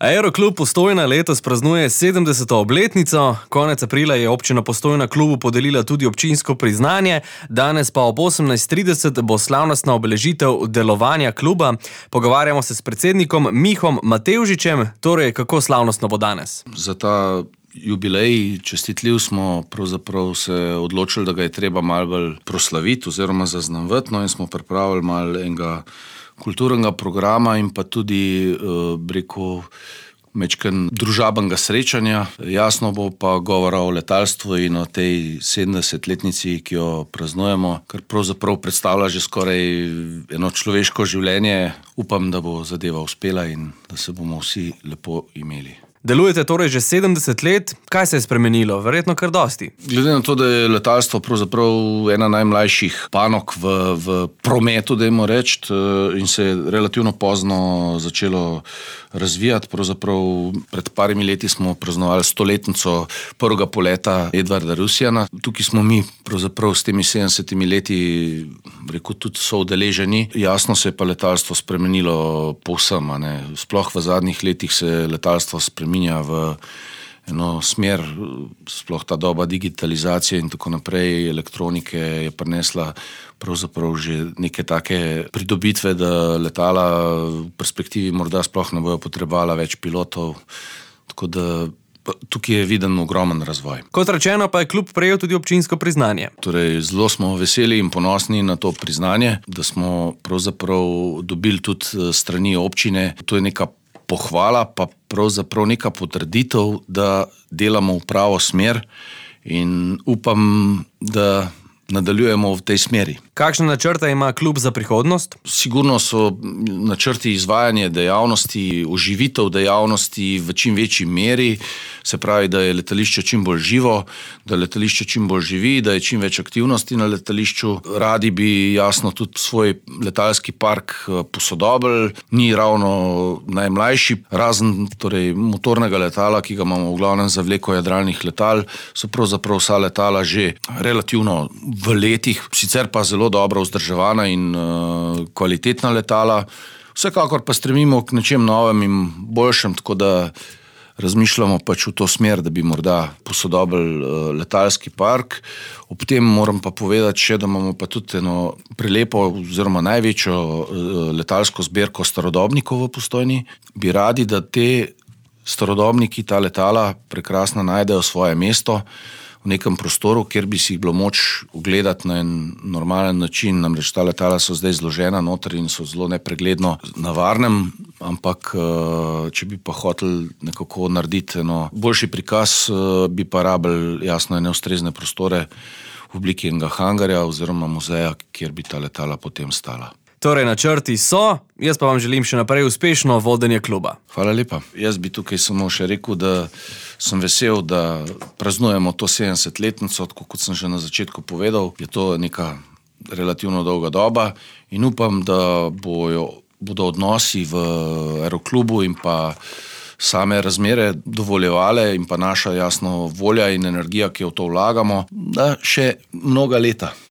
Aeroklub Postojna letos praznuje 70. obletnico. Konec aprila je občina Postojna klubu podelila tudi občinsko priznanje. Danes pa ob 18:30 bo slavnostna obeležitev delovanja kluba. Pogovarjamo se s predsednikom Mihom Matevžičem. Torej, kako slavnostno bo danes? Za ta jubilej čestitljiv smo pravzaprav se odločili, da ga je treba malo bolj proslaviti oziroma zaznavati, in smo pripravili malo enega kulturnega programa in pa tudi, mečken družabnega srečanja. Jasno bo pa govora o letalstvu in o tej 70-letnici, ki jo praznujemo, kar pravzaprav predstavlja že skoraj eno človeško življenje. Upam, da bo zadeva uspela in da se bomo vsi lepo imeli. Delujete torej že 70 let. Kaj se je spremenilo? Verjetno kar dosti. Glede na to, da je letalstvo pravzaprav ena najmlajših panog v prometu, dajmo reči, in se je relativno pozno začelo razvijati. Pravzaprav pred parimi leti smo praznovali 100-letnico prvega poleta Edvarda Rusjana. Tukaj smo mi pravzaprav s temi 70 leti, tudi so udeleženi. Jasno se je pa letalstvo spremenilo povsem, Sploh v zadnjih letih se letalstvo spreminja v eno smer, sploh ta doba digitalizacije in tako naprej, elektronike je prinesla pravzaprav že neke take pridobitve, da letala v perspektivi morda sploh ne bojo potrebovala več pilotov, tako da tukaj je viden ogromen razvoj. Kot rečeno, pa je klub prejel tudi občinsko priznanje. Torej, zelo smo veseli in ponosni na to priznanje, da smo pravzaprav dobili tudi strani občine. To je neka pohvala, pa pravzaprav neka potrditev, da delamo v pravo smer in upam, da nadaljujemo v tej smeri. Kakšne načrte ima klub za prihodnost? Sigurno so načrti izvajanje dejavnosti, oživitev dejavnosti v čim večji meri, se pravi, da je letališče čim bolj živo, da letališče čim bolj živi, da je čim več aktivnosti na letališču. Radi bi jasno tudi svoj letalski park posodobili, ni ravno najmlajši, razen motornega letala, ki ga imamo v glavnem za vleko jadralnih letal, so pravzaprav vsa letala že relativno v letih, sicer pa zelo dobro vzdrževana in kvalitetna letala. Vsekakor pa stremimo k nečem novem in boljšem, tako da razmišljamo pač v to smer, da bi morda posodobili letalski park. Ob tem moram pa povedati še, da imamo pa tudi eno prelepo oziroma največjo letalsko zbirko starodobnikov v Postojni. Bi radi, da te starodobniki, ta letala prekrasno najdejo svoje mesto v nekem prostoru, kjer bi si jih bilo moč ogledati na en normalen način. Namreč ta letala so zdaj zložena noter in so zelo nepregledno na varnem, ampak če bi pa hoteli nekako narediti boljši prikaz, bi pa rabili jasno ene ustrezne prostore v obliki enega hangarja oziroma muzeja, kjer bi ta letala potem stala. Torej, načrti so, jaz pa vam želim še naprej uspešno vodenje kluba. Hvala lepa. Jaz bi tukaj samo še rekel, da sem vesel, da praznujemo to 70-letnico, tako kot sem že na začetku povedal. Je to neka relativno dolga doba in upam, da bodo odnosi v aeroklubu in pa same razmere dovoljevale in pa naša jasno volja in energija, ki jo v to vlagamo, da še mnoga leta.